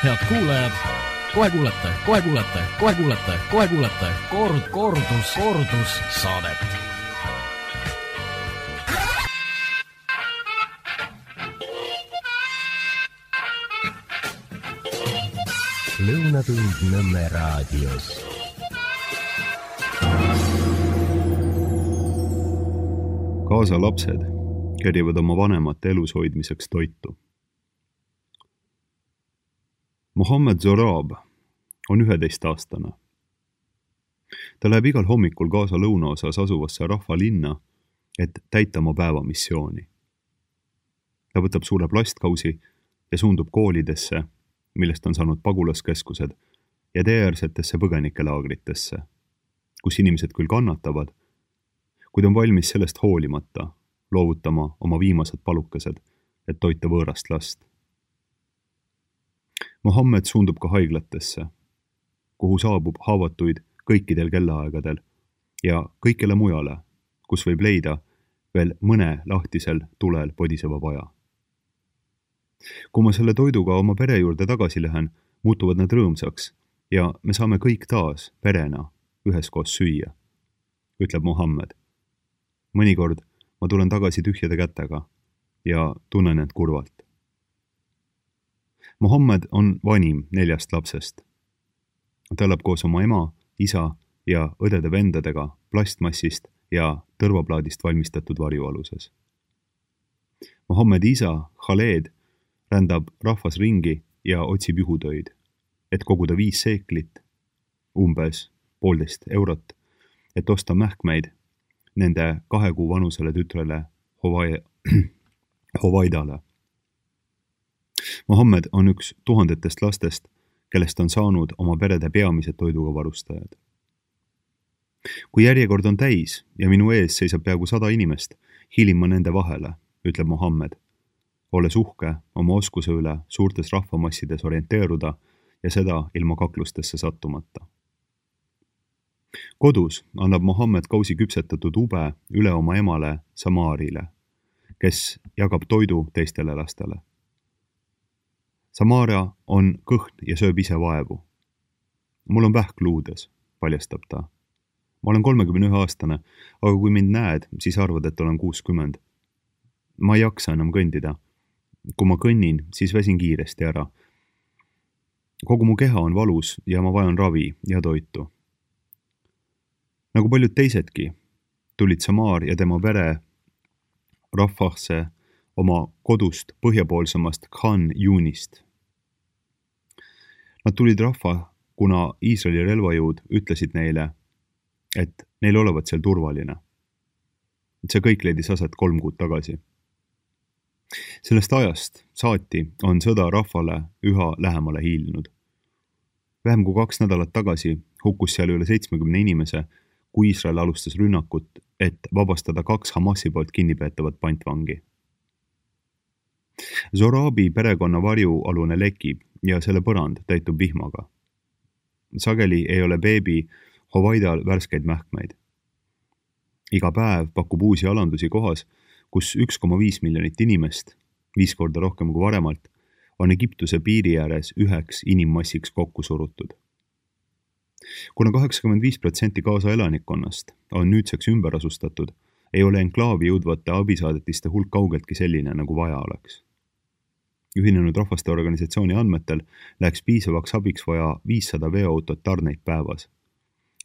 Head kuulajad, kohe kuulete kordussaadet. Lõunatund Nõmme raadios. Kaasa lapsed kerjavad oma vanemate elus hoidmiseks toitu. Mohammed Zorab on 11-aastane. Ta läheb igal hommikul Gaza lõunaosas asuvasse rahvalinna, et täita oma päevamissiooni. Ta võtab suure plastkausi ja suundub koolidesse, millest on saanud pagulaskeskused, ja teeäärsetesse põgenikelaagritesse, kus inimesed küll kannatavad, kuid on valmis sellest hoolimata loovutama oma viimased palukesed, et toita võõrast last. Mohammed suundub ka haiglatesse, kuhu saabub haavatuid kõikidel kellaaegadel ja kõikjale mujale, kus võib leida veel mõne lahtisel tulel podiseva vaja. Kui ma selle toiduga oma pere juurde tagasi lähen, muutuvad nad rõõmsaks ja me saame kõik taas perena üheskoos süüa, ütleb Mohammed. Mõnikord ma tulen tagasi tühjade kätega ja tunnen end kurvalt. Mohammed on vanim 4 lapsest. Ta elab koos oma ema, isa ja õdede-vendadega plastmassist ja tõrvaplaadist valmistatud varjualuses. Mohammedi isa, Khaled, rändab rahvas ringi ja otsib juhutöid, et koguda 5 seeklit, umbes 1,5 eurot, et osta mähkmeid nende 2 kuu vanusele tütrele Hovaidale. Mohammed on üks tuhandetest lastest, kellest on saanud oma perede peamised toiduga varustajad. Kui järjekord on täis ja minu ees seisab peaaegu 100 inimest, hiilin ma nende vahele, ütleb Mohammed, olles uhke oma oskuse üle suurtes rahvamassides orienteeruda ja seda ilma kaklustesse sattumata. Kodus annab Mohammed kausi küpsetatud ube üle oma emale Samaarile, kes jagab toidu teistele lastele. Samaria on kõhn ja sööb ise vaevu. Mul on vähk luudes, paljastab ta. Ma olen 31-aastane, aga kui mind näed, siis arvad, et olen 60. Ma ei jaksa enam kõndida. Kui ma kõnnin, siis väsin kiiresti ära. Kogu mu keha on valus ja ma vajan ravi ja toitu. Nagu paljud teisedki, tulid Samar ja tema pere Rafahse oma kodust põhjapoolsemast Khan Yunist. Nad tulid Rafah, kuna Iisraeli relvajõud ütlesid neile, et neil olevat seal turvaline. See kõik leidis aset 3 kuud tagasi. Sellest ajast saati on sõda rahvale üha lähemale hiilnud. Vähem kui 2 nädalat tagasi hukkus seal üle 70 inimese, kui Iisrael alustas rünnakut, et vabastada 2 Hamasi poolt kinnipeetavat pantvangi. Zorabi perekonna varjualune lekib ja selle põrand täitub vihmaga. Sageli ei ole beebi Hovaidal värskeid mähkmeid. Iga päev pakub uusi alandusi kohas, kus 1,5 miljonit inimest, 5 korda rohkem kui varemalt, on Egiptuse piiri ääres üheks inimmassiks kokku surutud. Kuna 85% Gaza elanikkonnast on nüüdseks ümber asustatud, ei ole enklaavi jõudvate abisaadetiste hulk kaugeltki selline, nagu vaja oleks. Ühinenud rahvaste organisatsiooni andmetel läheks piisavaks abiks vaja 500 veoautot tarneid päevas,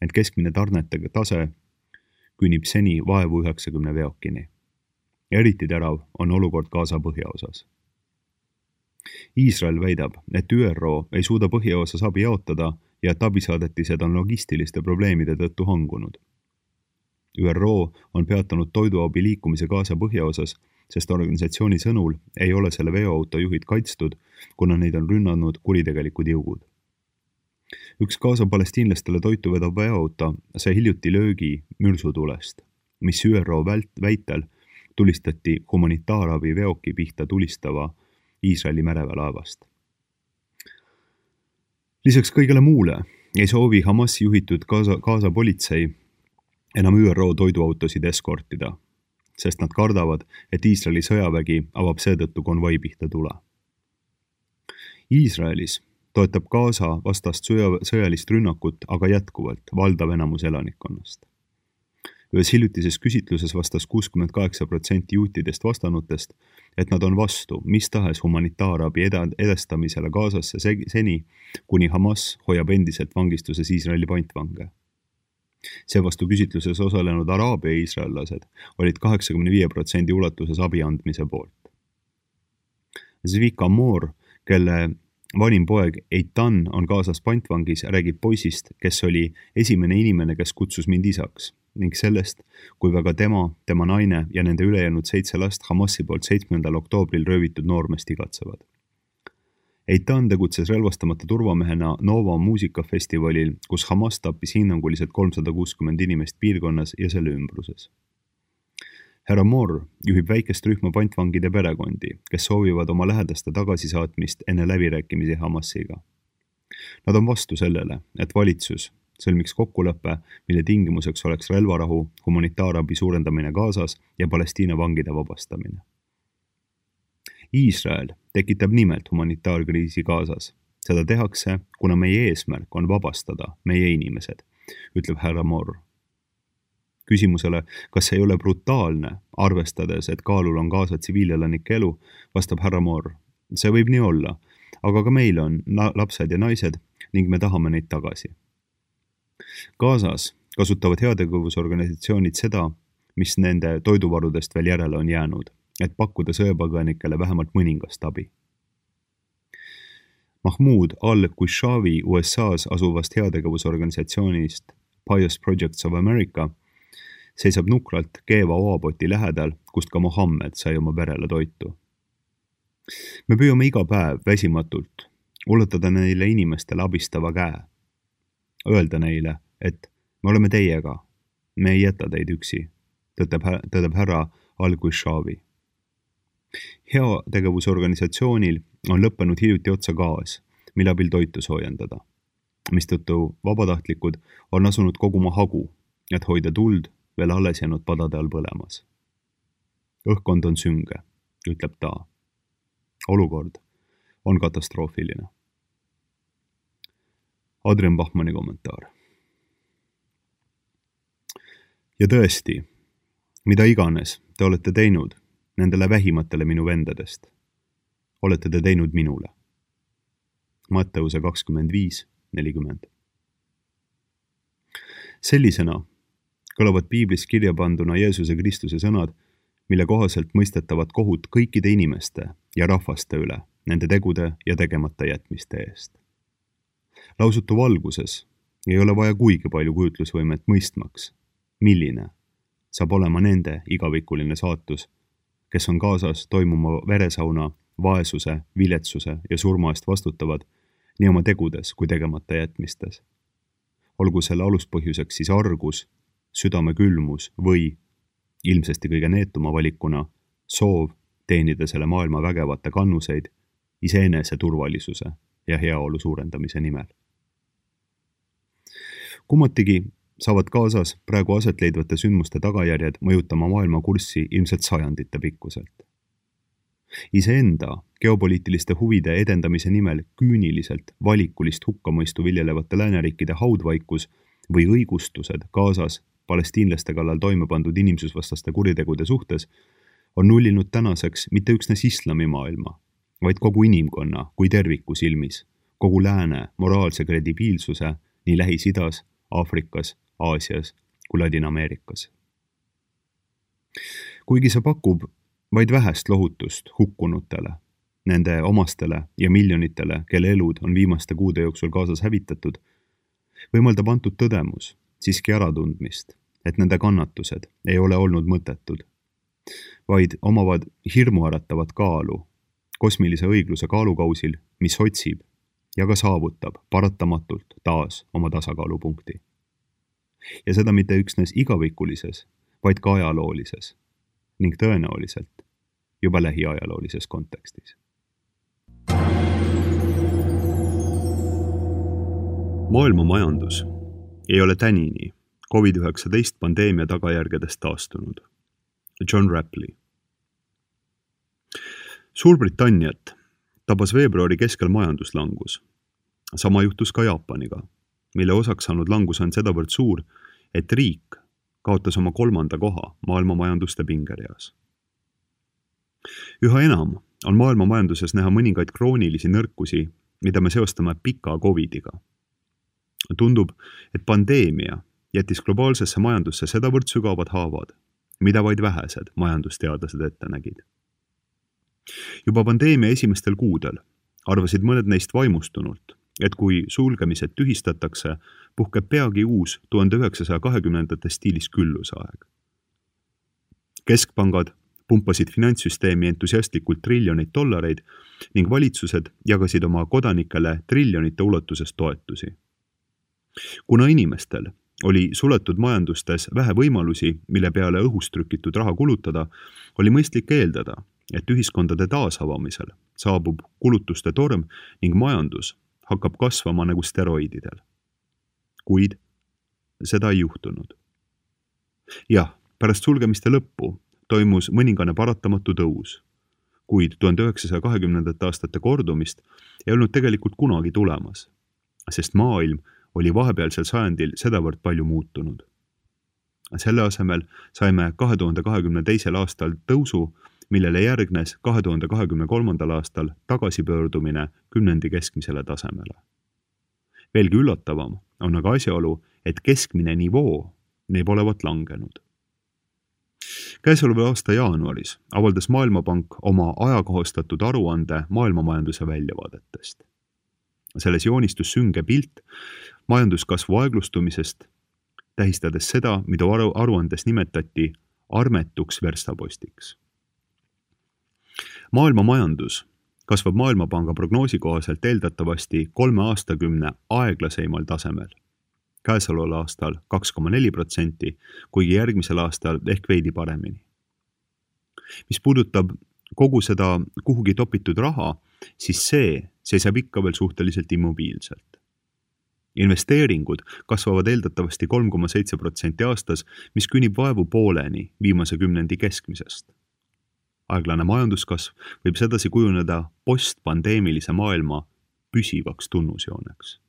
ent keskmine tarnete tase küünib seni vaevu 90 veokini. Eriti terav on olukord Gaza põhjaosas. Iisrael väidab, et ÜRO ei suuda põhjaosas abi jaotada ja et abisaadetised on logistiliste probleemide tõttu hangunud. ÜRO on peatanud toiduabi liikumise Gaza põhjaosas, sest organisatsiooni sõnul ei ole selle veoauto juhid kaitstud, kuna neid on rünnanud kuritegelikud jõugud. Üks Gaza palestiinlastele toitu vedav veoauto sai hiljuti löögi mürsutulest, mis ÜRO väitel tulistati humanitaarabi veoki pihta tulistava Iisraeli mereväelaevast. Lisaks kõigele muule ei soovi Hamasi juhitud Gaza politsei enam ÜRO toiduautosid eskortida, sest nad kardavad, et Iisraeli sõjavägi avab seetõttu konvoi pihta tule. Iisraelis toetab Gaza vastast sõjalist rünnakut aga jätkuvalt valdav enamus elanikkonnast. Ühes hiljutises küsitluses vastas 68% juutidest vastanutest, et nad on vastu mis tahes humanitaarabi edestamisele Gazasse seni, kuni Hamas hoiab endiselt vangistuses Iisraeli pantvange. Seevastu küsitluses osalenud araabia iisraellased olid 85% ulatuses abi andmise poolt. Zvika Moor, kelle vanim poeg Eitan on Gazas pantvangis, räägib poisist, kes oli esimene inimene, kes kutsus mind isaks, ning sellest, kui väga tema naine ja nende ülejäänud 7 last Hamasi poolt 7. oktoobril röövitud noormest igatsevad. Eitan tegutses relvastamata turvamehena Nova muusikafestivalil, kus Hamas tappis hinnanguliselt 360 inimest piirkonnas ja selle ümbruses. Härra Moore juhib väikest rühma pantvangide perekondi, kes soovivad oma lähedaste tagasisaatmist enne läbirääkimisi Hamasiga. Nad on vastu sellele, et valitsus sõlmiks kokkuleppe, mille tingimuseks oleks relvarahu, humanitaarabi suurendamine Gazas ja Palestiina vangide vabastamine. Iisrael tekitab nimelt humanitaarkriisi Gazas. Seda tehakse, kuna meie eesmärk on vabastada meie inimesed, ütleb härra Moore. Küsimusele, kas ei ole brutaalne, arvestades, et kaalul on Gaza tsiviilelanike elu, vastab härra Moore. See võib nii olla, aga ka meil on lapsed ja naised ning me tahame neid tagasi. Gazas kasutavad heategevusorganisatsioonid seda, mis nende toiduvarudest veel järele on jäänud, et pakkuda sõjapõgenikele vähemalt mõningast abi. Mahmoud al-Qushaavi USA's asuvast heategevusorganisatsioonist Pious Projects of America seisab nukralt keeva oapoti lähedal, kust ka Mohammed sai oma perele toitu. Me püüame iga päev väsimatult ulatada neile inimestele abistava käe. Öelda neile, et me oleme teiega, me ei jäta teid üksi, tõdeb härra al-Qushaavi. Heategevusorganisatsioonil on lõppenud hiljuti otsa gaas, mille abil toitu soojendada, mistõttu vabatahtlikud on asunud koguma hagu, et hoida tuld veel alles jäänud padade all põlemas. Õhkkond on sünge, ütleb ta. Olukord on katastroofiline. Adrian Bachmanni kommentaar. Ja tõesti, mida iganes te olete teinud nendele vähimatele minu vendadest, olete te teinud minule. Matteuse 25:40. Sellisena kõlavad piiblis kirja panduna Jeesuse Kristuse sõnad, mille kohaselt mõistetavad kohut kõikide inimeste ja rahvaste üle, nende tegude ja tegemata jätmiste eest. Lausutu valguses ei ole vaja kuigi palju kujutlusvõimet mõistmaks, milline saab olema nende igavikuline saatus, kes on Gazas toimuma veresauna, vaesuse, viletsuse ja surma eest vastutavad nii oma tegudes kui tegemata jätmistes. Olgu selle aluspõhjuseks siis argus, südame külmus või, ilmsesti kõige neetuma valikuna, soov teenida selle maailma vägevate kannuseid iseenese turvalisuse ja heaolu suurendamise nimel. Kummatigi saavad Gazas praegu aset leidvate sündmuste tagajärjed mõjutama maailma kurssi ilmselt sajandite pikkuselt. Iseenda geopoliitiliste huvide edendamise nimel küüniliselt valikulist hukkamõistu viljelevate lääneriikide haudvaikus või õigustused Gazas palestiinlaste kallal toime pandud inimsusvastaste kuritegude suhtes on nullinud tänaseks mitte üksnes islamimaailma, vaid kogu inimkonna kui terviku silmis, kogu lääne moraalse kredibiilsuse nii Lähis-Idas, Aafrikas, Aasias kui Ladina-Ameerikas. Kuigi see pakub vaid vähest lohutust hukkunutele, nende omastele ja miljonitele, kelle elud on viimaste kuude jooksul Gazas hävitatud, võimaldab antud tõdemus siiski äratundmist, et nende kannatused ei ole olnud mõttetud, vaid omavad hirmuäratavat kaalu kosmilise õigluse kaalukausil, mis otsib ja ka saavutab paratamatult taas oma tasakaalupunkti. Ja seda mitte üksnes igavikulises, vaid ka ajaloolises ning tõenäoliselt juba lähiajaloolises kontekstis. Maailma majandus ei ole tänini COVID-19 pandeemia tagajärgedest taastunud. John Rapley. Suurbritanniat tabas veebruari keskel majanduslangus, Sama juhtus ka Jaapaniga, mille osaks saanud langus on sedavõrd suur, et riik kaotas oma 3. koha maailma majanduste pingereas. Üha enam on maailma majanduses näha mõningaid kroonilisi nõrkusi, mida me seostame pika Covidiga. Tundub, et pandeemia jättis globaalsesse majandusse sedavõrd sügavad haavad, mida vaid vähesed majandusteadlased ette nägid. Juba pandeemia esimestel kuudel arvasid mõned neist vaimustunult, et kui sulgemised tühistatakse, puhkeb peagi uus 1920. stiilis küllusaeg. Keskpangad pumpasid finantssüsteemi entusiastlikult triljoneid dollareid ning valitsused jagasid oma kodanikele triljonite ulatuses toetusi. Kuna inimestel oli suletud majandustes vähe võimalusi, mille peale õhust trükitud raha kulutada, oli mõistlik eeldada, et ühiskondade taasavamisel saabub kulutuste torm ning majandus hakkab kasvama nagu steroididel. Kuid seda ei juhtunud. Jah, pärast sulgemiste lõppu toimus mõningane paratamatu tõus, kuid 1920. aastate kordumist ei olnud tegelikult kunagi tulemas, sest maailm oli vahepealsel sajandil sedavõrd palju muutunud. Selle asemel saime 2022. aastal tõusu, millele järgnes 2023. aastal tagasipöördumine kümnendi keskmisele tasemele. Veelgi üllatavam on aga asjaolu, et keskmine nivoo neib olevat langenud. Käesoleva aasta jaanuaris avaldas Maailmapank oma ajakohastatud aruande maailmamajanduse väljavaadetest. Selles joonistus sünge pilt majanduskasvu aeglustumisest, tähistades seda, mida aruandes nimetati armetuks verstapostiks. Maailma majandus kasvab Maailmapanga prognoosi kohaselt eeldatavasti 3 aastakümne aeglaseimal tasemel. Käesoleval aastal 2,4%, kuigi järgmisel aastal ehk veidi paremini. Mis puudutab kogu seda kuhugi topitud raha, siis see seisab ikka veel suhteliselt immobiilselt. Investeeringud kasvavad eeldatavasti 3,7% aastas, mis künib vaevu pooleni viimase kümnendi keskmisest. Aeglane majanduskasv võib sedasi kujuneda postpandeemilise maailma püsivaks tunnusjooneks.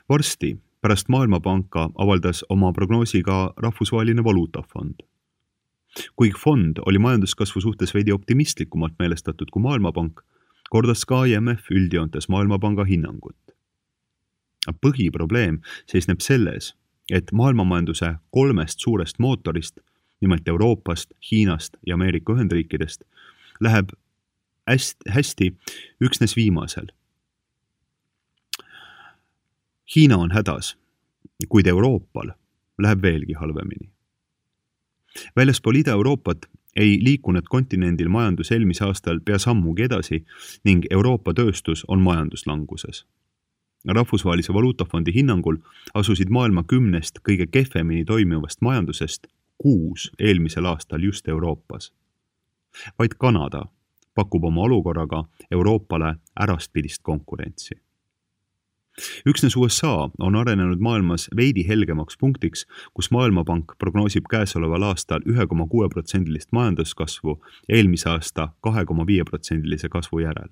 Varsti pärast Maailmapanka avaldas oma prognoosi ka Rahvusvaheline Valuutafond. Kuigi fond oli majanduskasvu suhtes veidi optimistlikumalt meelestatud kui Maailmapank, kordas ka IMF üldjoontes Maailmapanga hinnangut. Põhiprobleem seisneb selles, et maailmamajanduse 3 suurest mootorist, nimelt Euroopast, Hiinast ja Ameerika Ühendriikidest, läheb hästi üksnes viimasel. Hiina on hädas, kuid Euroopal läheb veelgi halvemini. Väljaspool Ida-Euroopat ei liikunud kontinendil majandus eelmise aastal pea sammugi edasi ning Euroopa tööstus on majanduslanguses. Rahvusvahelise Valuutafondi hinnangul asusid maailma 10 kõige kehvemini toimivast majandusest 6 eelmisel aastal just Euroopas. Vaid Kanada pakub oma olukorraga Euroopale äraspidist konkurentsi. Üksnes USA on arenenud maailmas veidi helgemaks punktiks, kus Maailmapank prognoosib käesoleval aastal 1,6% majanduskasvu eelmise aasta 2,5% kasvu järel.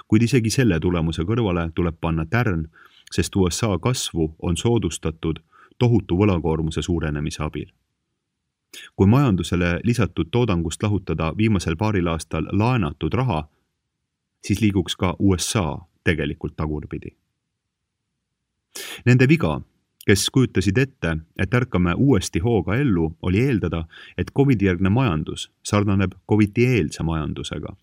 Kuid isegi selle tulemuse kõrvale tuleb panna tärn, sest USA kasvu on soodustatud tohutu võlakoormuse suurenemise abil. Kui majandusele lisatud toodangust lahutada viimasel paaril aastal laenatud raha, siis liiguks ka USA tegelikult tagurpidi. Nende viga, kes kujutasid ette, et ärkame uuesti hooga ellu, oli eeldada, et COVID-järgne majandus sarnaneb COVID-eelse majandusega.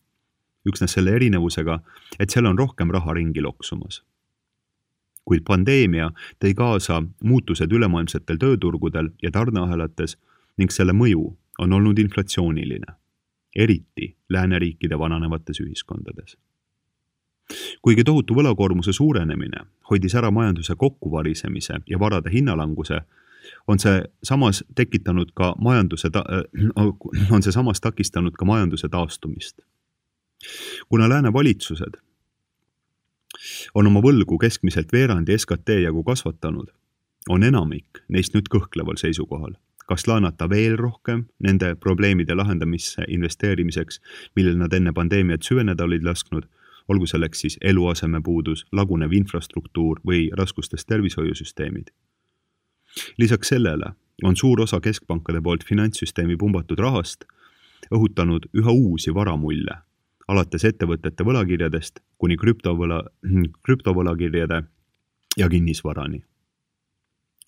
Üksnes selle erinevusega, et seal on rohkem raha ringi loksumas. Kuid pandeemia tõi kaasa muutused ülemaailmsetel tööturgudel ja tarneahelates ning selle mõju on olnud inflatsiooniline, eriti lääneriikide vananevates ühiskondades. Kuigi tohutu võlakoormuse suurenemine hoidis ära majanduse kokkuvarisemise ja varade hinnalanguse, on see samas takistanud ka majanduse taastumist. Kuna lääne valitsused on oma võlgu keskmiselt veerandi SKT jagu kasvatanud, on enamik neist nüüd kõhkleval seisukohal, kas laenata veel rohkem nende probleemide lahendamisse investeerimiseks, millel nad enne pandeemiat süveneda olid lasknud, olgu selleks siis eluasemepuudus, lagunev infrastruktuur või raskustes tervishoiusüsteemid. Lisaks sellele on suur osa keskpankade poolt finantssüsteemi pumbatud rahast õhutanud üha uusi varamulle, alates ettevõtete võlakirjadest kuni krüptovõlakirjade ja kinnisvarani.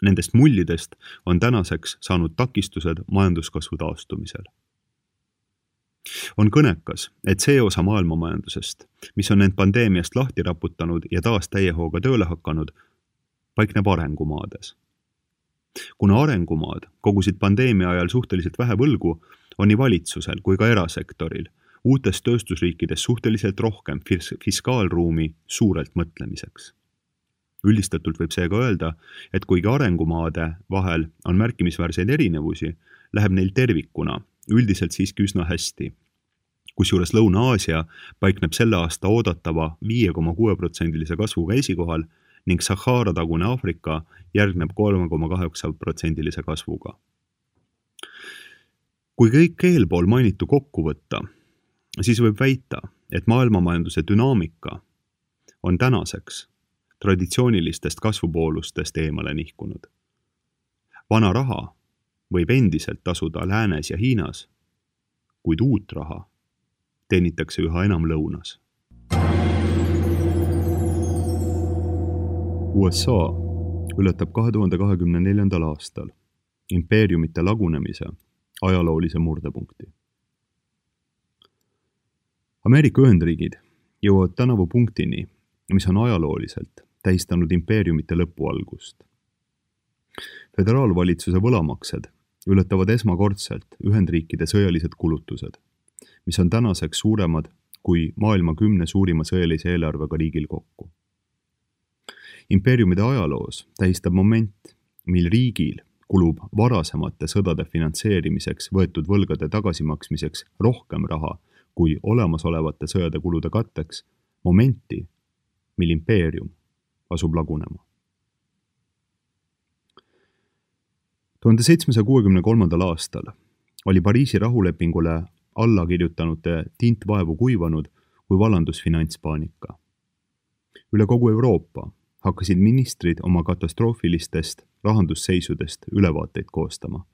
Nendest mullidest on tänaseks saanud takistused majanduskasvu taastumisel. On kõnekas, et see osa maailmamajandusest, mis on end pandeemiast lahti raputanud ja taas täiehooga tööle hakanud, paikneb arengumaades. Kuna arengumaad kogusid pandeemia ajal suhteliselt vähe võlgu, on nii valitsusel kui ka erasektoril uutes tööstusriikides suhteliselt rohkem fiskaalruumi suurelt mõtlemiseks. Üldistatult võib seega öelda, et kuigi arengumaade vahel on märkimisväärseid erinevusi, läheb neil tervikuna üldiselt siiski üsna hästi. Kusjuures Lõuna-Aasia paikneb selle aasta oodatava 5,6% kasvuga esikohal ning Sahara-tagune Aafrika järgneb 3,8% kasvuga. Kui kõik eelpool mainitu kokku võtta, siis võib väita, et maailmamajanduse dünaamika on tänaseks traditsioonilistest kasvupoolustest eemale nihkunud. Vana raha võib endiselt tasuda Läänes ja Hiinas, kuid uut raha teenitakse üha enam lõunas. USA ületab 2024. aastal impeeriumite lagunemise ajaloolise murdepunkti. Ameerika Ühendriigid jõuavad tänavu punktini, mis on ajalooliselt tähistanud impeeriumite lõpu algust. Föderaalvalitsuse võlamaksed ületavad esmakordselt Ühendriikide sõjalised kulutused, mis on tänaseks suuremad kui maailma 10 suurima sõjalise eelarvega riigil kokku. Impeeriumide ajaloos tähistab moment, mil riigil kulub varasemate sõdade finantseerimiseks võetud võlgade tagasimaksmiseks rohkem raha kui olemasolevate sõjade kulude katteks, momenti, mil impeerium asub lagunema. 1763. aastal oli Pariisi rahulepingule alla kirjutanute tint vaevu kuivanud, kui vallandus finantspaanika. Üle kogu Euroopa hakkasid ministrid oma katastroofilistest rahandusseisudest ülevaateid koostama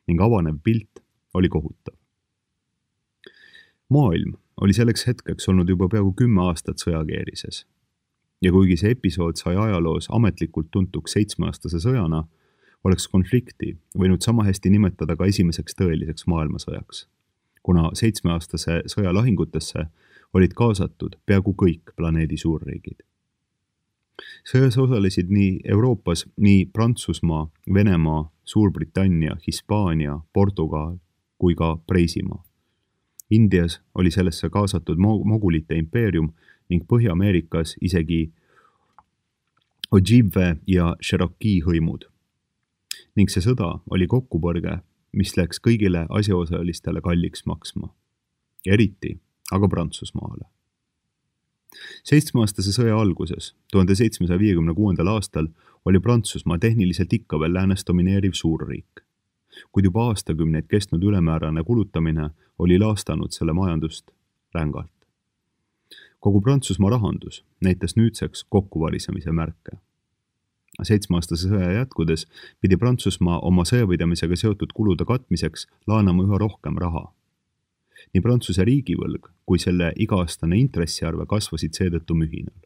ning avanev pilt oli kohutav. Maailm oli selleks hetkeks olnud juba peaaegu 10 aastat sõjakeerises ja kuigi see episood sai ajaloos ametlikult tuntuks 7-aastase sõjana, oleks konflikti võinud sama hästi nimetada ka esimeseks tõeliseks maailmasõjaks, kuna 7-aastase sõja lahingutesse olid kaasatud peaaegu kõik planeedi suurriigid. Sõjas osalesid nii Euroopas nii Prantsusmaa, Venemaa, Suurbritannia, Hispaania, Portugal kui ka Preisimaa. Indias oli sellesse kaasatud Mogulite impeerium ning Põhja-Ameerikas isegi Ojibwe ja Cherokee hõimud. Ning see sõda oli kokkupõrge, mis läks kõigile asjaosalistele kalliks maksma. Eriti aga Prantsusmaale. 7-aastase sõja alguses, 1756. aastal, oli Prantsusmaa tehniliselt ikka veel läänes domineeriv suurriik. Kuid juba aastakümneid kestnud ülemäärane kulutamine oli laastanud selle majandust rängalt. Kogu Prantsusmaa rahandus näitas nüüdseks kokkuvarisemise märke. 7-aastase sõja jätkudes pidi Prantsusmaa oma sõjapidamisega seotud kulude katmiseks laenama üha rohkem raha. Nii Prantsuse riigivõlg kui selle iga-aastane intressiarve kasvasid seetõttu mühinal.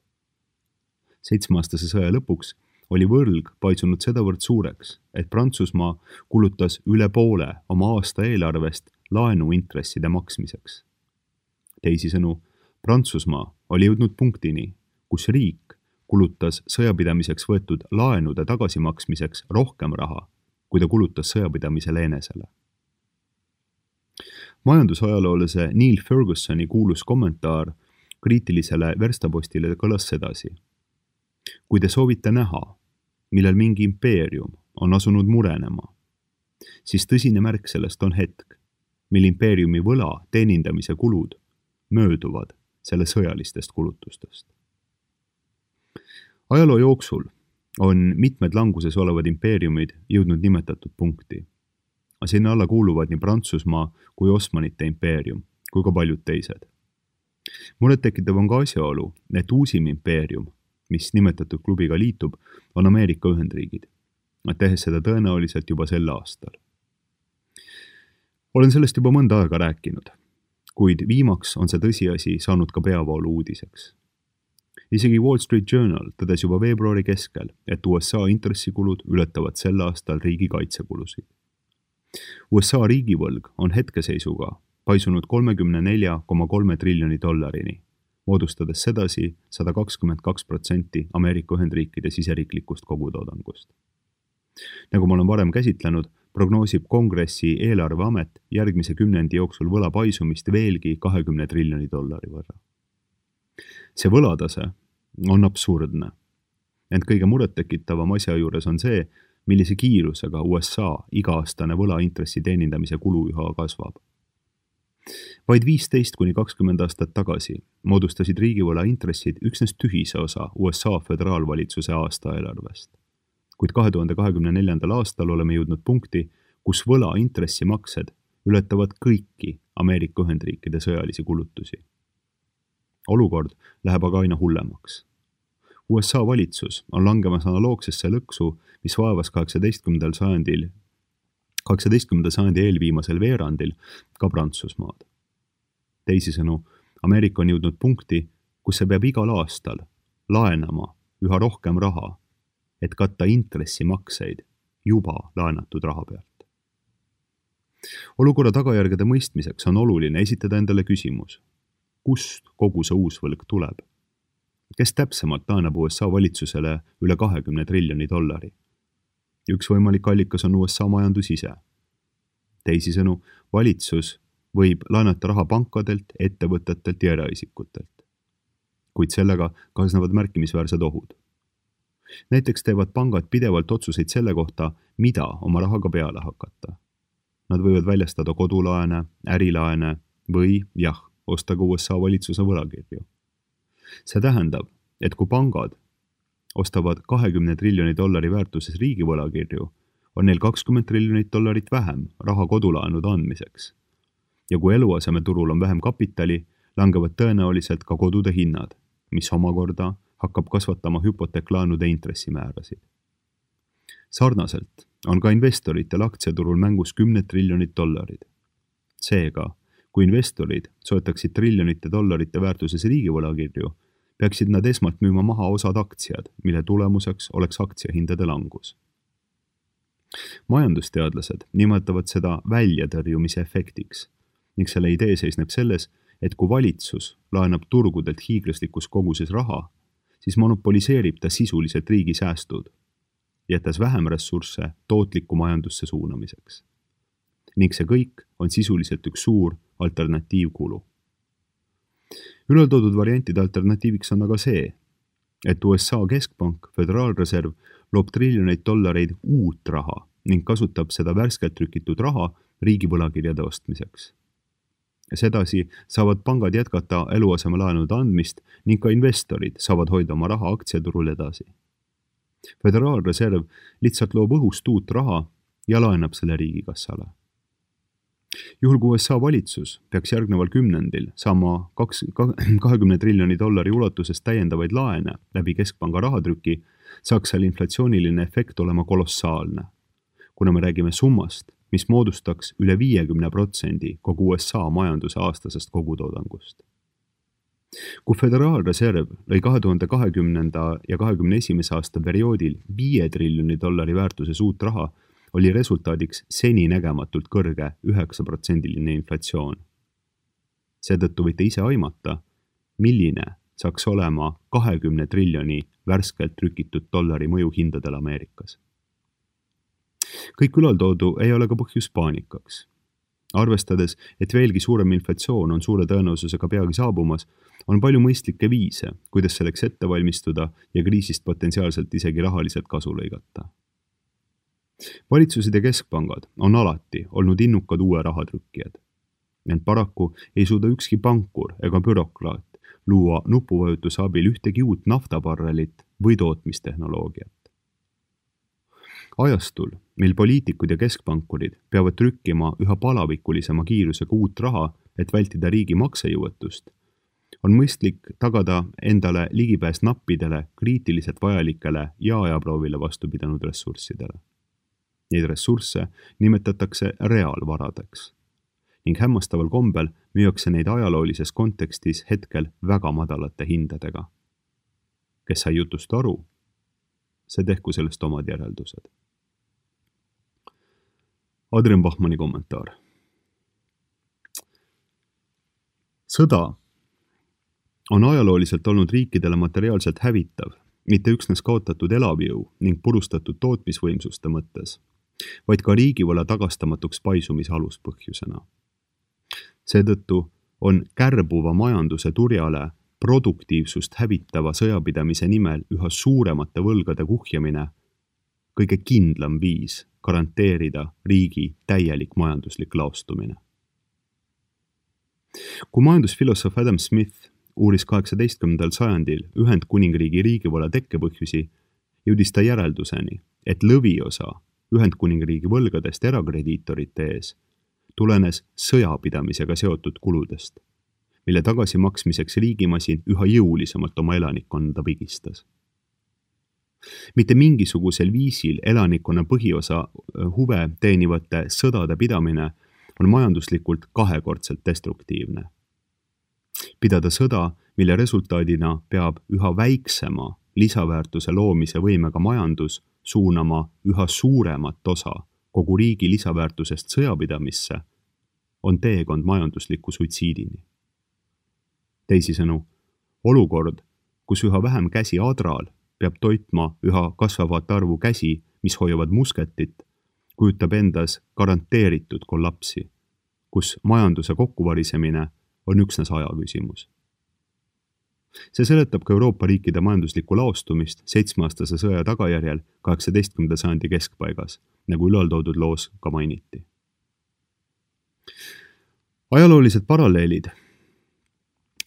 7-aastase sõja lõpuks oli võlg paisunud sedavõrd suureks, et Prantsusmaa kulutas üle poole oma aasta eelarvest laenuintresside maksmiseks. Teisisõnu, Prantsusmaa oli jõudnud punktini, kus riik kulutas sõjapidamiseks võetud laenude tagasimaksmiseks rohkem raha, kui ta kulutas sõjapidamisele enesele. Majandusajaloolase Neil Fergusoni kuulus kommentaar kriitilisele verstapostile kõlas sedasi. Kui te soovite näha, millal mingi impeerium on asunud murenema, siis tõsine märk sellest on hetk, mil impeeriumi võla teenindamise kulud mööduvad selle sõjalistest kulutustest. Ajaloo jooksul on mitmed languses olevad impeeriumid jõudnud nimetatud punkti. Sinna alla kuuluvad nii Prantsusmaa kui Osmanite impeerium, kui ka paljud teised. Muret tekitav on ka asjaolu, et uusim impeerium, mis nimetatud klubiga liitub, on Ameerika Ühendriigid, tehes seda tõenäoliselt juba sel aastal. Olen sellest juba mõnda aega rääkinud, kuid viimaks on see tõsiasi saanud ka peavoolu uudiseks. Isegi Wall Street Journal tõdes juba veebruari keskel, et USA intressikulud ületavad sel aastal riigi kaitsekulusid. USA riigivõlg on hetkeseisuga paisunud $34,3 triljoni, moodustades sedasi 122% Ameerika Ühendriikide siseriiklikust kogutoodangust. Nagu ma olen varem käsitlenud, prognoosib Kongressi eelarveamet järgmise 10 jooksul võla paisumist veelgi $20 triljoni võrra. See võlatase on absurdne, ent kõige murettekitavam asja juures on see, millise kiirusega USA iga-aastane võlaintressi teenindamise kulu üha kasvab. Vaid 15–20 aastat tagasi moodustasid riigivõla intressid üksnes tühise osa USA föderaalvalitsuse aastaeelarvest. Kuid 2024. aastal oleme jõudnud punkti, kus võla intressimaksed ületavad kõiki Ameerika Ühendriikide sõjalisi kulutusi. Olukord läheb aga aina hullemaks. USA valitsus on langemas analoogsesse lõksu, mis vaevas 18. sajandi eelviimasel veerandil ka Prantsusmaad. Teisisõnu, Ameerika on jõudnud punkti, kus see peab igal aastal laenama üha rohkem raha, et katta intressimakseid juba laenatud raha pealt. Olukorra tagajärgede mõistmiseks on oluline esitada endale küsimus, kust kogu see uus võlg tuleb? Kes täpsemalt laenab USA valitsusele üle $20 triljoni? Üks võimalik allikas on USA majandus ise. Teisisõnu, valitsus võib laenata raha pankadelt, ettevõtetelt ja eraisikutelt. Kuid sellega kaasnevad märkimisväärsed ohud. Näiteks teevad pangad pidevalt otsuseid selle kohta, mida oma rahaga peale hakata. Nad võivad väljastada kodulaene, ärilaene või osta ka USA valitsuse võlakirju. See tähendab, et kui pangad ostavad $20 triljoni väärtuses riigi võlakirju, on neil $20 triljonit vähem raha kodulaenude andmiseks. Ja kui eluasemeturul on vähem kapitali, langevad tõenäoliselt ka kodude hinnad, mis omakorda hakkab kasvatama hüpoteeklaenude intressimäärasid. Sarnaselt on ka investoritel aktsiaturul mängus $10 triljonit. Seega, kui investorid soetaksid triljonite dollarite väärtuses riigivõlakirju, peaksid nad esmalt müüma maha osad aktsiad, mille tulemuseks oleks aktsiahindade langus. Majandusteadlased nimetavad seda väljatõrjumise efektiks ning selle idee seisneb selles, et kui valitsus laenab turgudelt hiiglaslikus koguses raha, siis monopoliseerib ta sisuliselt riigi säästud, jättes vähem ressursse tootliku majandusse suunamiseks. Ning see kõik on sisuliselt üks suur alternatiivkulu. Ülaltoodud variantide alternatiiviks on aga see, et USA keskpank, Föderaalreserv, loob $triljoneid uut raha ning kasutab seda värskelt trükitud raha riigi võlakirjade ostmiseks. Sedasi saavad pangad jätkata eluasemelaenude andmist ning ka investorid saavad hoida oma raha aktsiaturul edasi. Föderaalreserv lihtsalt loob õhust uut raha ja laenab selle riigikassale. Juhul kui USA valitsus peaks järgneval kümnendil saama $20 triljoni ulatuses täiendavaid laene läbi keskpanga rahatrüki, saaks seal inflatsiooniline efekt olema kolossaalne, kuna me räägime summast, mis moodustaks üle 50% kogu USA majanduse aastasest kogutoodangust. Kui Föderaalreserv lõi 2020. ja 2021. aasta perioodil $5 triljoni väärtuses uut raha, oli resultaadiks seninägematult kõrge 9% inflatsioon. Seetõttu võite ise aimata, milline saaks olema 20 triljoni värskelt trükitud dollari mõju hindadel Ameerikas. Kõik ülaltoodu ei ole ka põhjus paanikaks. Arvestades, et veelgi suurem inflatsioon on suure tõenäosusega peagi saabumas, on palju mõistlikke viise, kuidas selleks ette valmistuda ja kriisist potentsiaalselt isegi rahaliselt kasu lõigata. Valitsused ja keskpangad on alati olnud innukad uue rahatrükkijad. Ent paraku ei suuda ükski pankur ega bürokraat luua nupuvajutuse abil ühtegi uut naftabarrelit või tootmistehnoloogiat. Ajastul, mil poliitikud ja keskpankurid peavad trükkima üha palavikulisema kiirusega uut raha, et vältida riigi maksejõuetust, on mõistlik tagada endale ligipääs nappidele, kriitiliselt vajalikele ja ajaproovile vastu pidanud ressurssidele. Neid ressursse nimetatakse reaalvaradeks ning hämmastaval kombel müüakse neid ajaloolises kontekstis hetkel väga madalate hindadega. Kes sai jutust aru, see tehku sellest omad järeldused. Adrian Bachmanni kommentaar. Sõda on ajalooliselt olnud riikidele materiaalselt hävitav, mitte üksnes kaotatud elavjõu ning purustatud tootmisvõimsuste mõttes, vaid ka riigivõla tagastamatuks paisumise aluspõhjusena. Seetõttu on kärbuva majanduse turjale produktiivsust hävitava sõjapidamise nimel üha suuremate võlgade kuhjamine kõige kindlam viis garanteerida riigi täielik majanduslik laostumine. Kui majandusfilosoof Adam Smith uuris 18. sajandil Ühendkuningriigi riigivõla tekkepõhjusi, jõudis ta järelduseni, et lõviosa Ühendkuningriigi võlgadest erakrediitorite ees tulenes sõjapidamisega seotud kuludest, mille tagasimaksmiseks riigimasin üha jõulisemalt oma elanikkonda pigistas. Mitte mingisugusel viisil elanikkonna põhiosa huve teenivate sõdade pidamine on majanduslikult kahekordselt destruktiivne. Pidada sõda, mille resultaadina peab üha väiksema lisaväärtuse loomise võimega majandus suunama üha suuremat osa kogu riigi lisaväärtusest sõjapidamisse, on teekond majandusliku suitsiidini. Teisisõnu, olukord, kus üha vähem käsi adral peab toitma üha kasvavat arvu käsi, mis hoiavad musketit, kujutab endas garanteeritud kollapsi, kus majanduse kokkuvarisemine on üksnes aja küsimus. See seletab ka Euroopa riikide majanduslikku laostumist 7-aastase sõja tagajärjel 18. sajandi keskpaigas, nagu ülaltoodud loos ka mainiti. Ajaloolised paralleelid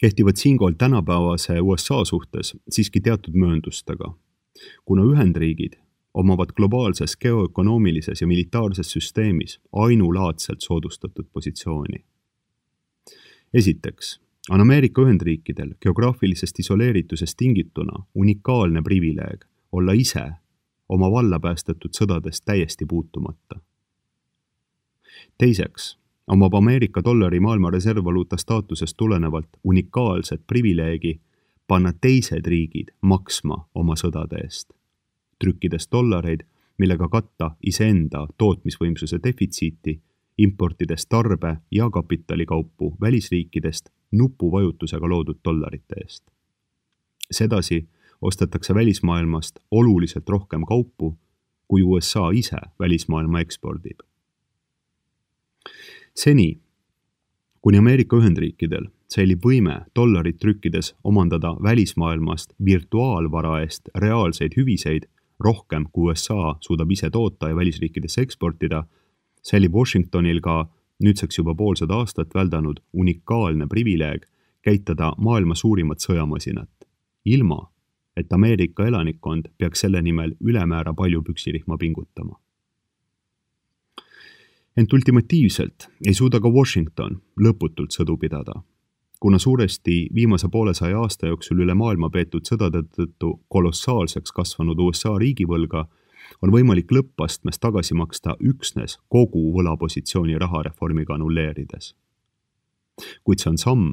kehtivad siinkohal tänapäevase USA suhtes siiski teatud mööndustega, kuna Ühendriigid omavad globaalses geoökonoomilises ja militaarses süsteemis ainulaadselt soodustatud positsiooni. Esiteks on Ameerika Ühendriikidel geograafilisest isoleeritusest tingituna unikaalne privileeg olla ise oma valla päästetud sõdadest täiesti puutumata. Teiseks omab Ameerika dollari maailma reservvaluuta staatusest tulenevalt unikaalset privileegi panna teised riigid maksma oma sõdade eest, trükkides dollareid, millega katta iseenda tootmisvõimsuse defitsiiti, importides tarbe- ja kapitalikaupu välisriikidest nupuvajutusega loodud dollarite eest. Sedasi ostetakse välismaailmast oluliselt rohkem kaupu, kui USA ise välismaailma ekspordib. Seni, kuni Ameerika Ühendriikidel säilib võime dollarit trükkides omandada välismaailmast virtuaalvara eest reaalseid hüviseid rohkem, kui USA suudab ise toota ja välisriikidesse eksportida, säilib Washingtonil ka nüüdseks juba poolsada aastat väldanud unikaalne privileeg käitada maailma suurimat sõjamasinat, ilma et Ameerika elanikkond peaks selle nimel ülemäära palju püksirihma pingutama. Ent ultimatiivselt ei suuda ka Washington lõputult sõdu pidada, kuna suuresti viimase 200 aasta jooksul üle maailma peetud sõdade tõttu kolossaalseks kasvanud USA riigivõlga on võimalik lõppastmes tagasi maksta üksnes kogu võlapositsiooni rahareformiga annulleerides. Kuid see on samm,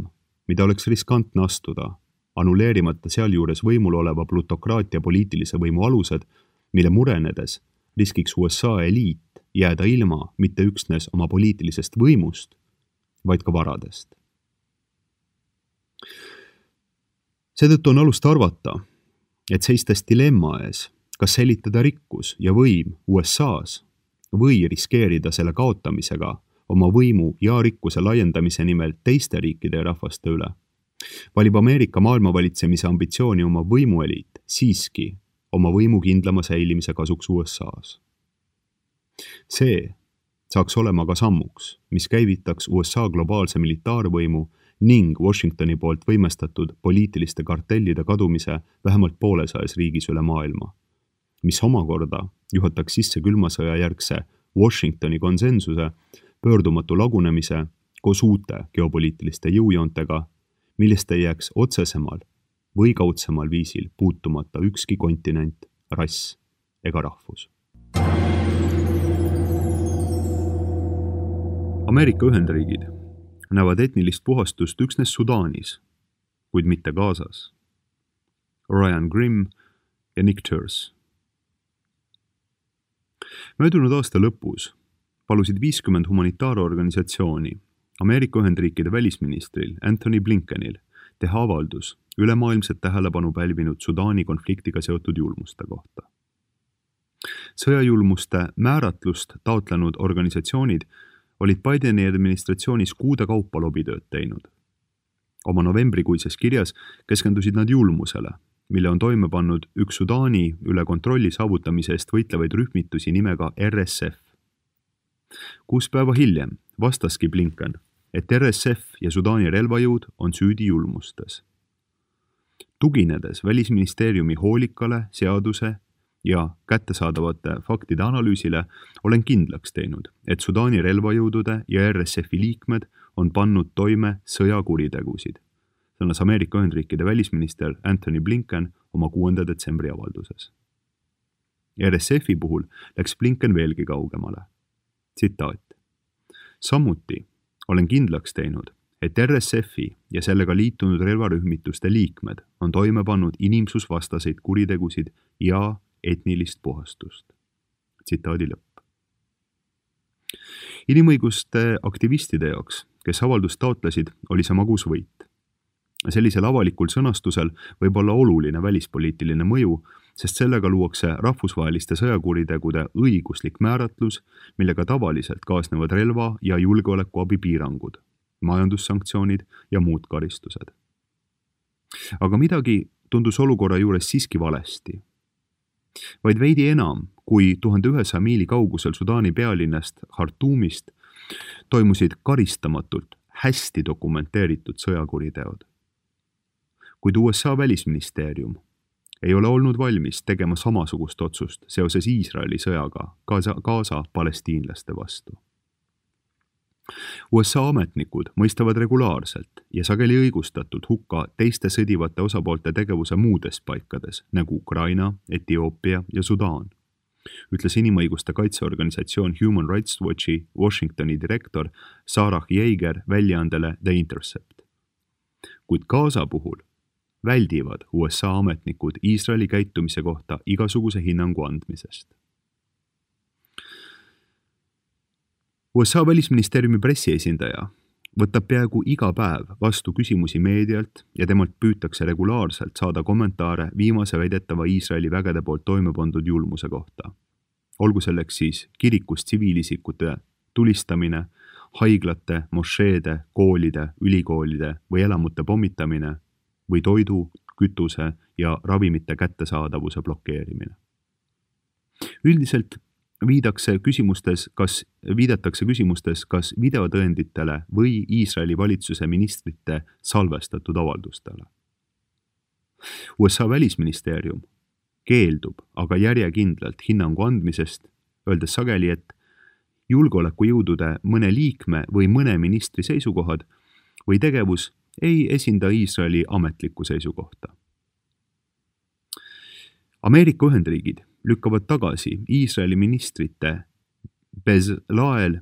mida oleks riskantne astuda, annulleerimata sealjuures võimul oleva plutokraatia poliitilise võimu alused, mille murenedes riskiks USA eliit jääda ilma mitte üksnes oma poliitilisest võimust, vaid ka varadest. Seetõttu on alust arvata, et seistes dilemma ees, kas säilitada rikkus ja võim USA-s või riskeerida selle kaotamisega oma võimu ja rikkuse laiendamise nimel teiste riikide ja rahvaste üle, valib Ameerika maailmavalitsemise ambitsiooni oma võimueliit siiski oma võimu kindlama säilimise kasuks USA-s. See saaks olema ka sammuks, mis käivitaks USA globaalse militaarvõimu ning Washingtoni poolt võimestatud poliitiliste kartellide kadumise vähemalt 200 riigis üle maailma, mis omakorda juhataks sisse külma sõja järgse Washingtoni konsensuse pöördumatu lagunemise koos uute geopoliitiliste jõujoontega, millest ei jääks otsesemal või kaudsemal viisil puutumata ükski kontinent, rass ega rahvus. Ameerika Ühendriigid näevad etnilist puhastust üksnes Sudaanis, kuid mitte Gazas. Ryan Grimm ja Nick Turse. Möödunud aasta lõpus palusid 50 humanitaarorganisatsiooni Ameerika Ühendriikide välisministril Anthony Blinkenil teha avaldus ülemaailmset tähelepanu pälvinud Sudaani konfliktiga seotud julmuste kohta. Sõjajulmuste määratlust taotlenud organisatsioonid olid Bideni administratsioonis kuude kaupa lobitööd teinud. Oma novembrikuises kirjas keskendusid nad julmusele, mille on toime pannud üks Sudaani üle kontrolli saavutamise eest võitlevaid rühmitusi nimega RSF. 6 päeva hiljem vastaski Blinken, et RSF ja Sudaani relvajõud on süüdi julmustes. Tuginedes Välisministeeriumi hoolikale, seaduse ja kättesaadavate faktide analüüsile olen kindlaks teinud, et Sudaani relvajõudude ja RSF-i liikmed on pannud toime sõjakuritegusid, sõnas Ameerika Ühendriikide välisminister Anthony Blinken oma 6. detsembri avalduses. RSF-i puhul läks Blinken veelgi kaugemale. Tsitaat. Samuti olen kindlaks teinud, et RSF-i ja sellega liitunud relvarühmituste liikmed on toime pannud inimsusvastaseid kuritegusid ja etnilist puhastust. Tsitaadi lõpp. Inimõiguste aktivistide jaoks, kes avaldust taotlesid, oli see magus võit. Sellisel avalikul sõnastusel võib olla oluline välispoliitiline mõju, sest sellega luuakse rahvusvaheliste sõjakuritegude õiguslik määratlus, millega tavaliselt kaasnevad relva- ja julgeolekuabi piirangud, majandussanktsioonid ja muud karistused. Aga midagi tundus olukorra juures siiski valesti. Vaid veidi enam kui 1100 miili kaugusel Sudaani pealinnast Khartoumist toimusid karistamatult hästi dokumenteeritud sõjakuriteod. Kuid USA välisministeerium ei ole olnud valmis tegema samasugust otsust seoses Iisraeli sõjaga Gaza palestiinlaste vastu. USA ametnikud mõistavad regulaarselt ja sageli õigustatult hukka teiste sõdivate osapoolte tegevuse muudes paikades, nagu Ukraina, Etioopia ja Sudaan, ütles inimõiguste kaitseorganisatsioon Human Rights Watchi Washingtoni direktor Sarah Jaeger väljaandele The Intercept. Kuid Gaza puhul väldivad USA ametnikud Iisraeli käitumise kohta igasuguse hinnangu andmisest. USA välisministeeriumi pressiesindaja võtab peaaegu iga päev vastu küsimusi meedialt ja temalt püütakse regulaarselt saada kommentaare viimase väidetava Iisraeli vägede poolt toime pandud julmuse kohta. Olgu selleks siis kirikus tsiviilisikute tulistamine, haiglate, mošeede, koolide, ülikoolide või elamute pommitamine või toidu, kütuse ja ravimite kättesaadavuse blokeerimine. Üldiselt viidatakse küsimustes, kas videotõenditele või Iisraeli valitsuse ministrite salvestatud avaldustele. USA välisministeerium keeldub aga järjekindlalt hinnangu andmisest, öeldes sageli, et julgeolekujõudude mõne liikme või mõne ministri seisukohad või tegevus ei esinda Iisraeli ametlikku seisukohta. Ameerika Ühendriigid lükkavad tagasi Iisraeli ministrite Bezalel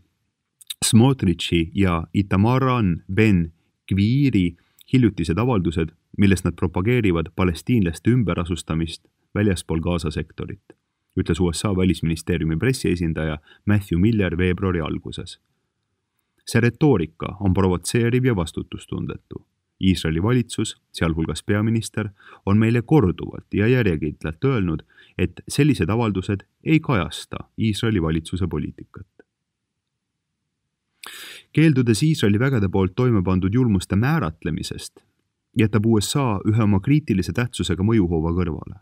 Smotrichi ja Itamaran Ben Gviri hiljutised avaldused, milles nad propageerivad palestiinlaste ümberasustamist väljaspool Gaza sektorit, ütles USA välisministeeriumi pressiesindaja Matthew Miller veebruari alguses. See retoorika on provotseeriv ja vastutustundetu. Iisraeli valitsus, sealhulgas peaminister, on meile korduvalt ja järjekindlalt öelnud, et sellised avaldused ei kajasta Iisraeli valitsuse poliitikat. Keeldudes Iisraeli vägede poolt toime pandud julmuste määratlemisest, jätab USA ühe oma kriitilise tähtsusega mõjuhoova kõrvale.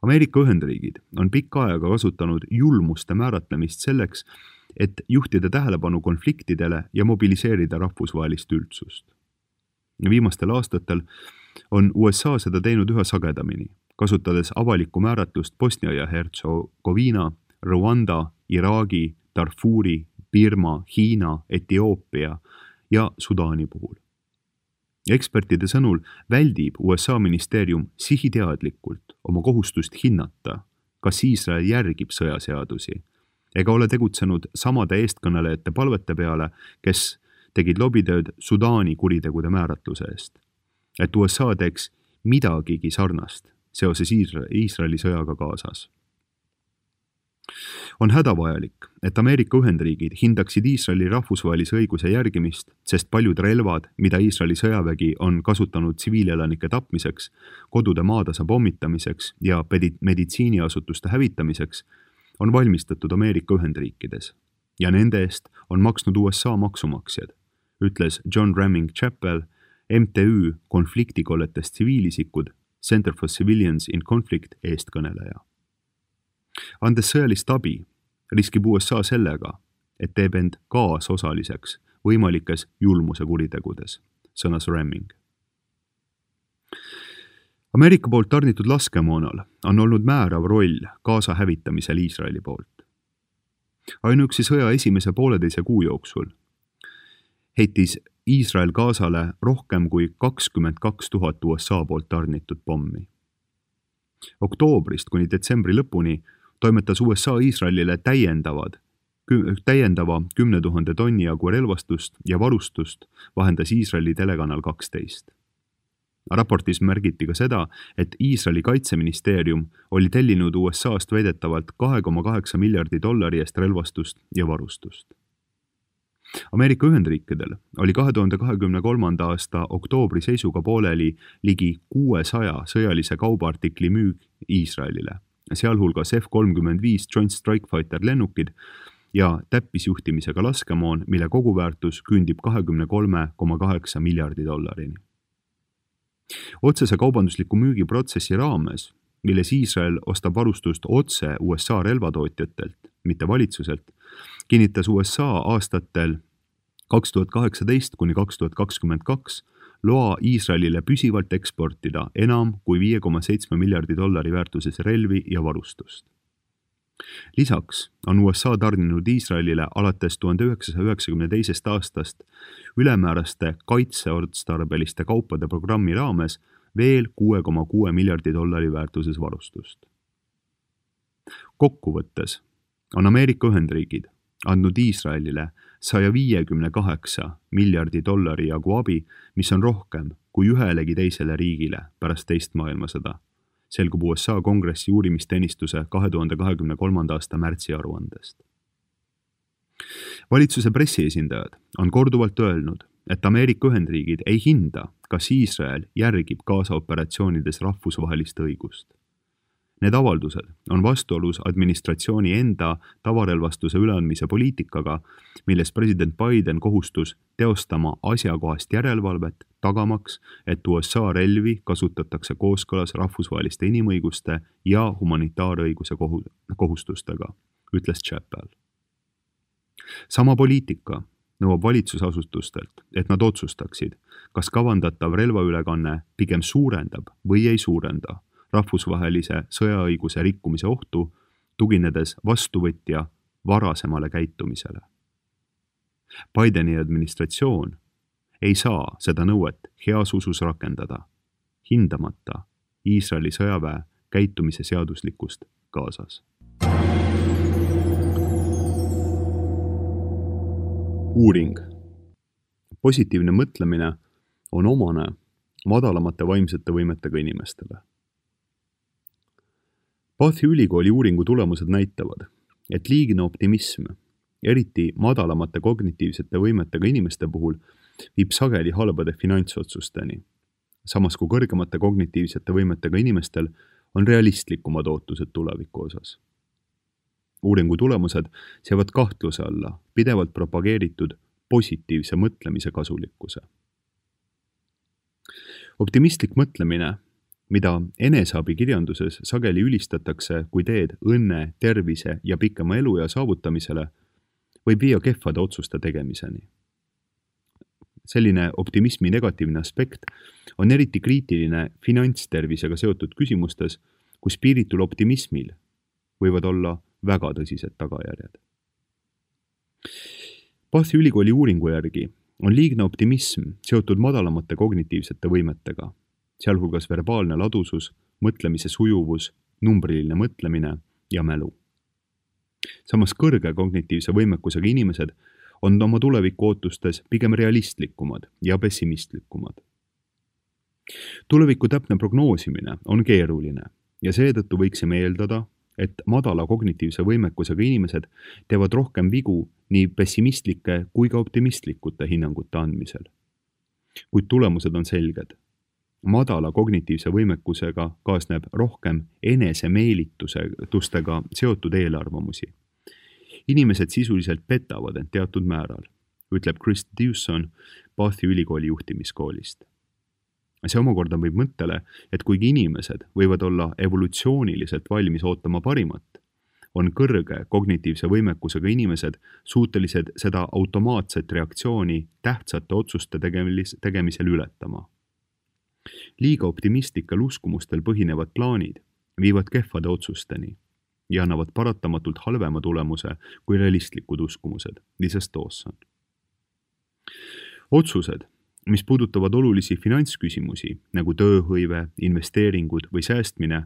Ameerika Ühendriigid on pikka aega kasutanud julmuste määratlemist selleks, et juhtida tähelepanu konfliktidele ja mobiliseerida rahvusvahelist üldsust. Viimastel aastatel on USA seda teinud üha sagedamini, kasutades avalikku määratlust Bosnia ja Hertsegoviina, Rwanda, Iraagi, Darfuri, Birma, Hiina, Etioopia ja Sudaani puhul. Ekspertide sõnul väldib USA ministeerium sihiteadlikult oma kohustust hinnata, kas Iisrael järgib sõjaseadusi, ega ole tegutsenud samade eestkõnelejate palvete peale, kes tegid lobitööd Sudaani kuritegude määratluse eest, et USA teeks midagigi sarnast seoses Iisraeli sõjaga Gazas. On hädavajalik, et Ameerika Ühendriigid hindaksid Iisraeli rahvusvahelise õiguse järgimist, sest paljud relvad, mida Iisraeli sõjavägi on kasutanud tsiviilelanike tapmiseks, kodude maatasa pommitamiseks ja meditsiiniasutuste hävitamiseks, on valmistatud Ameerika Ühendriikides ja nende eest on maksnud USA maksumaksjad, ütles John Ramming Chappell, MTÜ konfliktikolletest tsiviilisikud, Center for Civilians in Conflict eestkõneleja. Andes sõjalist abi, riskib USA sellega, et teeb end kaasosaliseks võimalikes julmuse kuritegudes, sõnas Ramming. Ameerika poolt tarnitud laskemoonal on olnud määrav roll Gaza hävitamisel Iisraeli poolt. Ainuüksi sõja esimese 1,5 kuu jooksul heitis Iisrael Gazale rohkem kui 22 000 USA poolt tarnitud pommi. Oktoobrist kuni detsembri lõpuni toimetas USA Iisraelile täiendava 10 000 tonni jagu relvastust ja varustust vahendas Iisraeli telekanal 12. Raportis märgiti ka seda, et Iisraeli kaitseministeerium oli tellinud USA-st väidetavalt $2,8 miljardi eest relvastust ja varustust. Ameerika Ühendriikidel oli 2023. aasta oktoobri seisuga pooleli ligi 600 sõjalise kaubaartikli müük Iisraelile, sealhulgas F-35 Joint Strike Fighter lennukid ja täppisjuhtimisega laskemoon, mille koguväärtus küündib $23,8 miljardi. Otsese kaubandusliku müügiprotsessi raames, milles Iisrael ostab varustust otse USA relvatootjatelt, mitte valitsuselt, kinnitas USA aastatel 2018 kuni 2022 loa Iisraelile püsivalt eksportida enam kui $5,7 miljardi väärtuses relvi ja varustust. Lisaks on USA tarninud Iisraelile alates 1992. aastast ülemääraste kaitseotstarbeliste kaupade programmi raames veel $6,6 miljardi väärtuses varustust. Kokkuvõttes on Ameerika Ühendriigid andnud Iisraelile $158 miljardi jagu abi, mis on rohkem kui ühelegi teisele riigile pärast teist maailmasõda, selgub USA kongressi uurimisteenistuse 2023. aasta märtsi aruandest. Valitsuse pressiesindajad on korduvalt öelnud, et Ameerika Ühendriigid ei hinda, kas Iisrael järgib Gaza operatsioonides rahvusvahelist õigust. Need avaldused on vastuolus administratsiooni enda tavarelvastuse üleandmise poliitikaga, milles president Biden kohustus teostama asjakohast järelevalvet, tagamaks, et USA relvi kasutatakse kooskõlas rahvusvaheliste inimõiguste ja humanitaarõiguse kohustustega, ütles Chappell. Sama poliitika nõuab valitsusasutustelt, et nad otsustaksid, kas kavandatav relvaülekanne pigem suurendab või ei suurenda rahvusvahelise sõjaõiguse rikkumise ohtu, tuginedes vastuvõtja varasemale käitumisele. Bideni administratsioon ei saa seda nõuet heas usus rakendada, hindamata Iisraeli sõjaväe käitumise seaduslikkust Gazas. Uuring. Positiivne mõtlemine on omane madalamate vaimsete võimetega inimestele. Bathi ülikooli uuringu tulemused näitavad, et liigne optimism, eriti madalamate kognitiivsete võimetega inimeste puhul, viib sageli halbade finantsotsusteni, samas kui kõrgemate kognitiivsete võimetega inimestel on realistlikumad ootused tuleviku osas. Uuringu tulemused seavad kahtluse alla pidevalt propageeritud positiivse mõtlemise kasulikkuse. Optimistlik mõtlemine, mida eneseabikirjanduses sageli ülistatakse kui teed õnne, tervise ja pikema eluea saavutamisele, võib viia kehvade otsuste tegemiseni. Selline optimismi negatiivne aspekt on eriti kriitiline finantstervisega seotud küsimustes, kus piiritul optimismil võivad olla väga tõsised tagajärjed. Bathi ülikooli uuringu järgi on liigne optimism seotud madalamate kognitiivsete võimetega, sealhulgas verbaalne ladusus, mõtlemise sujuvus, numbriline mõtlemine ja mälu. Samas kõrge kognitiivse võimekusega inimesed on oma tuleviku ootustes pigem realistlikumad ja pessimistlikumad. Tuleviku täpne prognoosimine on keeruline ja seetõttu võiksime eeldada, et madala kognitiivse võimekusega inimesed teevad rohkem vigu nii pessimistlike kui ka optimistlikute hinnangute andmisel. Kuid tulemused on selged. Madala kognitiivse võimekusega kaasneb rohkem enesemeelitustega seotud eelarvamusi. Inimesed sisuliselt petavad end teatud määral, ütleb Chris Dewson Bathi ülikooli juhtimiskoolist. See omakorda võib mõttele, et kuigi inimesed võivad olla evolutsiooniliselt valmis ootama parimat, on kõrge kognitiivse võimekusega inimesed suutelised seda automaatset reaktsiooni tähtsate otsuste tegemisel ületama. Liiga optimistlikel uskumustel põhinevad plaanid viivad kehvade otsusteni ja annavad paratamatult halvema tulemuse kui realistlikud uskumused, lisas Dawson. Otsused, mis puudutavad olulisi finantsküsimusi nagu tööhõive, investeeringud või säästmine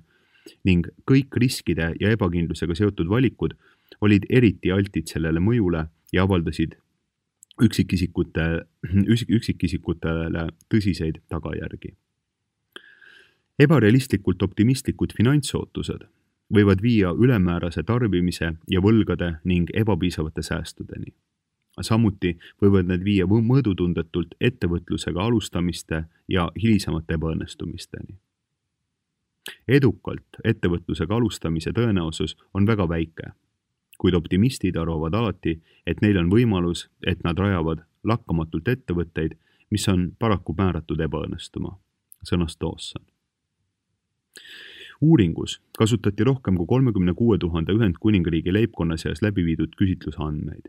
ning kõik riskide ja ebakindlusega seotud valikud olid eriti altid sellele mõjule ja avaldasid üksikisikutele tõsiseid tagajärgi. Ebarealistlikult optimistlikud finantsootused võivad viia ülemäärase tarbimise ja võlgade ning ebapiisavate säästudeni. Samuti võivad need viia mõõdutundetult ettevõtlusega alustamiste ja hilisemate ebaõnnestumisteni. Edukalt ettevõtlusega alustamise tõenäosus on väga väike, kuid optimistid arvavad alati, et neil on võimalus, et nad rajavad lakkamatult ettevõtteid, mis on paraku määratud ebaõnnestuma, sõnas Dawson. Uuringus kasutati rohkem kui 36 000 Ühendkuningriigi leibkonna seas läbi viidud küsitlusandmeid.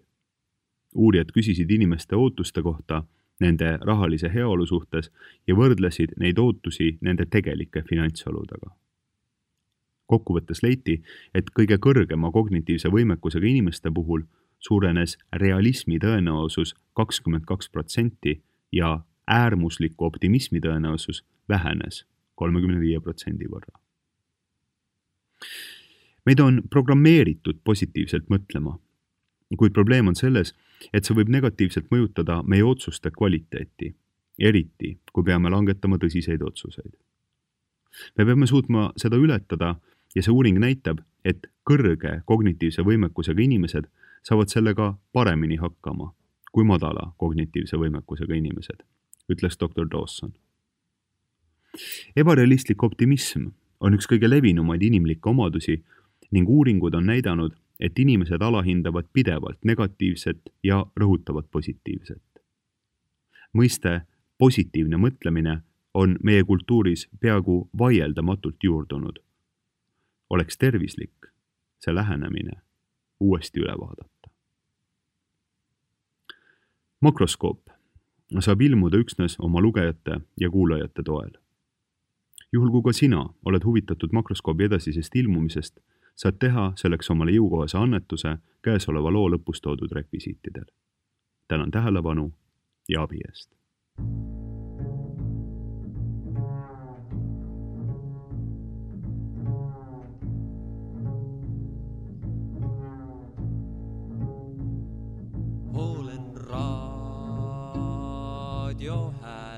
Uurijad küsisid inimeste ootuste kohta nende rahalise heaolu suhtes ja võrdlesid neid ootusi nende tegelike finantsoludega. Kokkuvõttes leiti, et kõige kõrgema kognitiivse võimekusega inimeste puhul suurenes realismi tõenäosus 22% ja äärmusliku optimismi tõenäosus vähenes 35% võrra. Meid on programmeeritud positiivselt mõtlema, kuid probleem on selles, et see võib negatiivselt mõjutada meie otsuste kvaliteeti, eriti kui peame langetama tõsiseid otsuseid. Me peame suutma seda ületada ja see uuring näitab, et kõrge kognitiivse võimekusega inimesed saavad sellega paremini hakkama kui madala kognitiivse võimekusega inimesed, ütles Dr. Dawson. Ebarealistlik optimism on üks kõige levinumaid inimlikke omadusi ning uuringud on näidanud, et inimesed alahindavad pidevalt negatiivset ja rõhutavad positiivset. Mõiste positiivne mõtlemine on meie kultuuris peaaegu vaieldamatult juurdunud. Oleks tervislik see lähenemine uuesti üle vaadata. Makroskoop saab ilmuda üksnes oma lugejate ja kuulajate toel. Juhul kui ka sina oled huvitatud makroskoobi edasisest ilmumisest, saad teha selleks omale jõukohase annetuse käesoleva loo lõpus toodud rekvisiitidel. Tänan tähelepanu ja abi eest. Olen raadio hääl.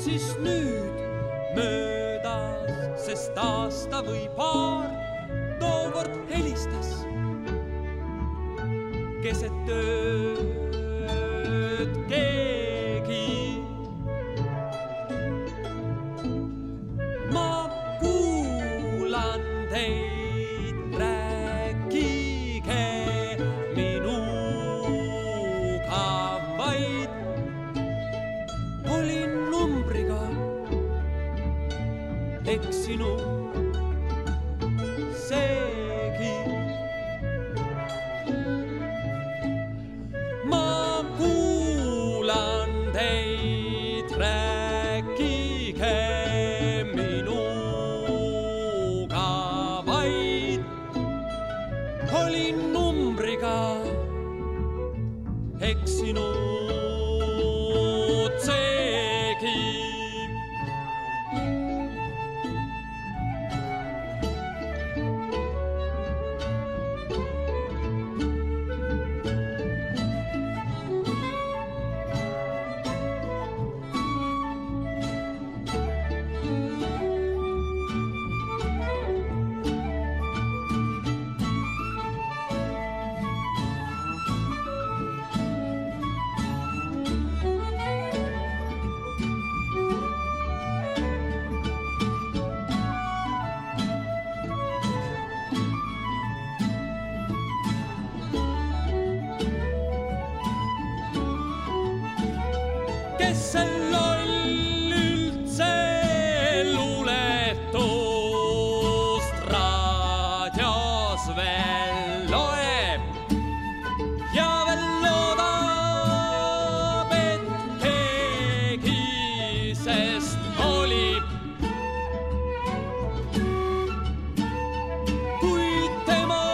siis nüüd möödas, sest aasta või paar tookord helistas keset tööd keegi. Ma kuulan teid, rääkige minuga vaid. Olin numbriga eksinud seegi. Ma kuulan teid, rääkige minuga vaid. Olin numbriga eksinud seegi. Kes see loll üldse luuletust raadios veel loeb ja veel loodab, et keegi sest olib. Kuid tema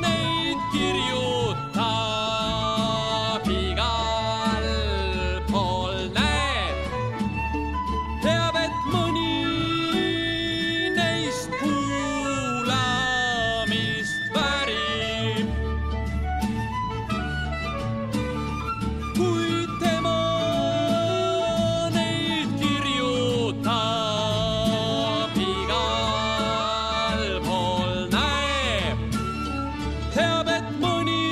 neid kirjutab igal pool näeb, teab, et mõni neist kuulamist väärib. Kuid tema neid kirjutab igal pool näeb, teab, et mõni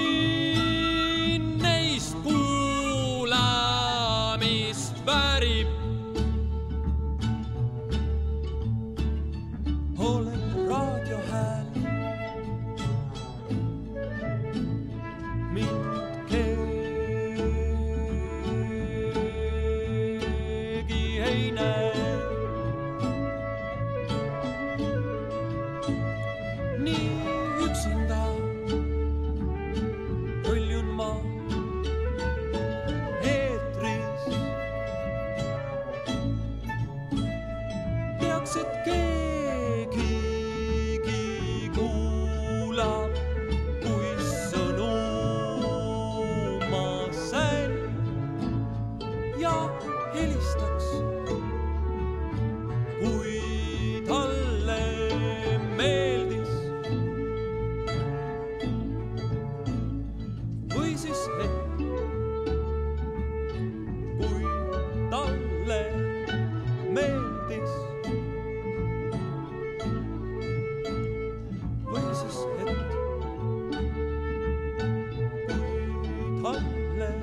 neist kuulamist väärib. Olen raadiohääl, mind keegi ei näe. Nii üksinda põljun ma eetris. Teaks, et keegigi kuulab, kui sõnu ma sain ja helistaks, kui talle meeldis. Või siis hetk, kui talle meeldis. Või siis hetk, kui talle meeldis.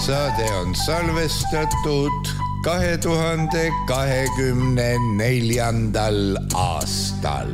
Saade on salvestatud 2024. aastal.